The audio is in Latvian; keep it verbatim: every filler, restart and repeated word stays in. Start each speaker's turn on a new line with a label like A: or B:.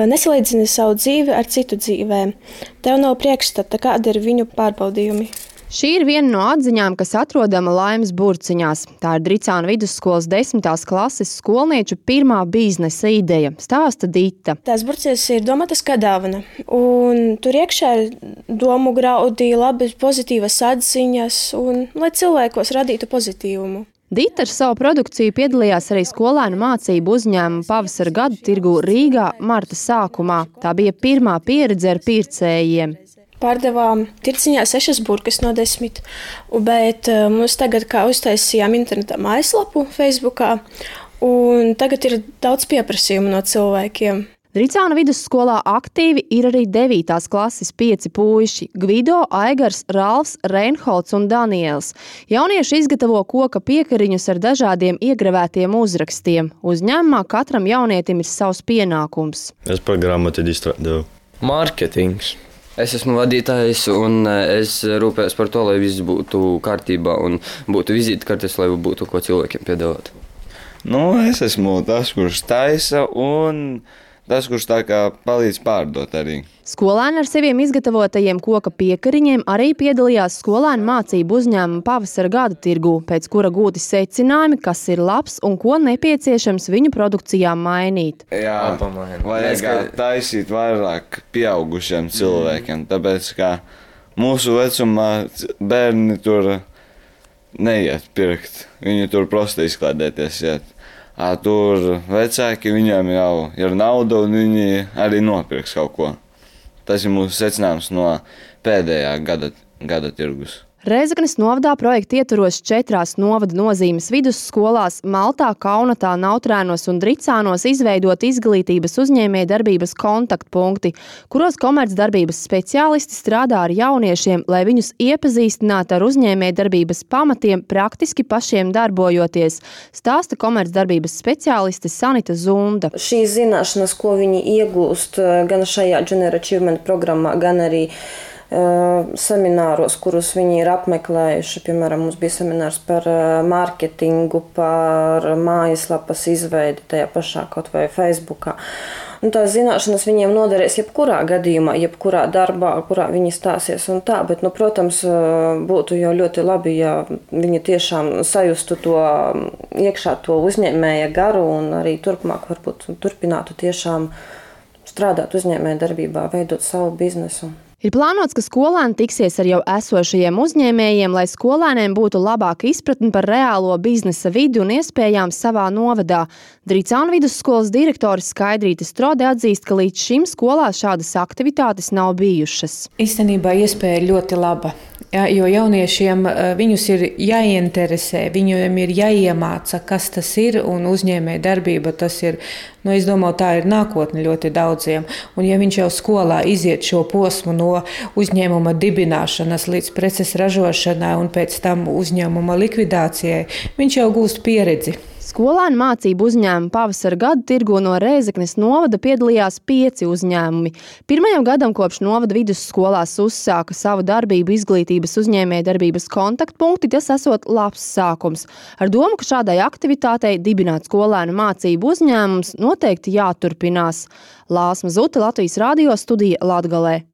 A: Nesalīdzini savu dzīvi ar citu dzīvēm. Tev nav priekšstata, kādi ir viņu pārbaudījumi.
B: Šī ir viena no atziņām, kas atrodama Laimas burciņās. Tā ir Dricānu vidusskolas desmitās klases skolnieču pirmā biznesa ideja, stāsta Dita.
A: Tās burciņas ir domātas kā dāvana, un tur iekšā ir domu graudi, labas pozitīvas atziņas, un lai cilvēkos radītu pozitīvumu.
B: Dita ar savu produkciju piedalījās arī skolēnu mācību uzņēmuma pavasara gadu tirgū Rīgā marta sākumā. Tā bija pirmā pieredze ar pircējiem.
A: Pārdevām tirciņā sešas burkas no desmit, bet mums tagad kā uztaisījām internetā mājaslapu Facebookā, un tagad ir daudz pieprasījumu no cilvēkiem.
B: Dricānu vidusskolā aktīvi ir arī devītās klases pieci puiši – Gvido, Aigars, Ralfs, Reinholds un Daniels. Jaunieši izgatavo koka piekariņus ar dažādiem iegravētiem uzrakstiem. Uzņēmumā katram jaunietim ir savs pienākums.
C: Es programmu tad izstrādāju.
D: Mārketings. Es esmu vadītājs un es rūpējos par to, lai viss būtu kārtībā un būtu vizītkartes, lai būtu ko cilvēkiem piedāvāt.
E: Nu, es esmu tas, kurš taisa un tas, kurš tā kā palīdz pārdot arī.
B: Skolēni ar saviem izgatavotajiem koka piekariņiem arī piedalījās skolēnu mācību uzņēmuma pavasara gada tirgū, pēc kura gūti secinājumi, kas ir labs un ko nepieciešams viņu produkcijā mainīt.
E: Jā, vajag taisīt vairāk pieaugušiem cilvēkiem, tāpēc kā mūsu vecumā bērni tur neiet pirkt, viņi tur prosti izklādēties iet. À, tur vecāki, viņiem jau ir nauda un viņi arī nopirks kaut ko. Tas ir mūsu secinājums no pēdējā gada, gada tirgus.
B: Rēzeknes novadā projekta ietvaros četrās novada nozīmes vidusskolās Maltā, Kaunatā, Nautrēnos un Dricānos izveidot izglītības uzņēmējdarbības kontaktpunkti, kuros komercdarbības speciālisti strādā ar jauniešiem, lai viņus iepazīstinātu ar uzņēmējdarbības pamatiem, praktiski pašiem darbojoties, stāsta komercdarbības speciāliste Sanita Zunda.
F: Šīs zināšanas, ko viņi iegūst gan šajā Junior Achievement programmā, gan arī semināros, kurus viņi ir apmeklējuši. Piemēram, mums bija seminārs par mārketingu, par mājaslapas izveidi tajā pašā kaut vai Facebookā. Un tās zināšanas viņiem noderēs jebkurā gadījumā, jebkurā darbā, kurā viņi stāsies un tā, bet, nu, protams, būtu jau ļoti labi, ja viņi tiešām sajustu to iekšā to uzņēmēja garu un arī turpmāk varbūt turpinātu tiešām strādāt uzņēmēja darbībā, veidot savu biznesu.
B: Ir plānots, ka skolēni tiksies ar jau esošajiem uzņēmējiem, lai skolēniem būtu labāka izpratne par reālo biznesa vidi un iespējām savā novadā. Dricānu vidusskolas direktore Skaidrīte Strode atzīst, ka līdz šim skolā šādas aktivitātes nav bijušas.
G: Īstenībā iespēja ļoti laba, ja, jo jauniešiem viņus ir jāieinteresē, viņiem ir jāiemāca, kas tas ir, un uzņēmēja darbība tas ir, nu, es domāju, tā ir nākotne ļoti daudziem. Un ja viņš jau skolā iziet šo posmu no uzņēmuma dibināšanas līdz preces ražošanai un pēc tam uzņēmuma likvidācijai, viņš jau gūst pieredzi.
B: Skolēnu mācību uzņēmuma pavasara gadu tirgo no Rēzeknes novada piedalījās pieci uzņēmumi. Pirmajam gadam kopš novada vidusskolās uzsāka savu darbību izglītības uzņēmējdarbības kontaktpunkti, tas esot labs sākums. Ar domu, ka šādai aktivitātei dibināt skolēnu mācību uzņēmums noteikti jāturpinās. Lāsma Zute, Latvijas radio studija Latgalē.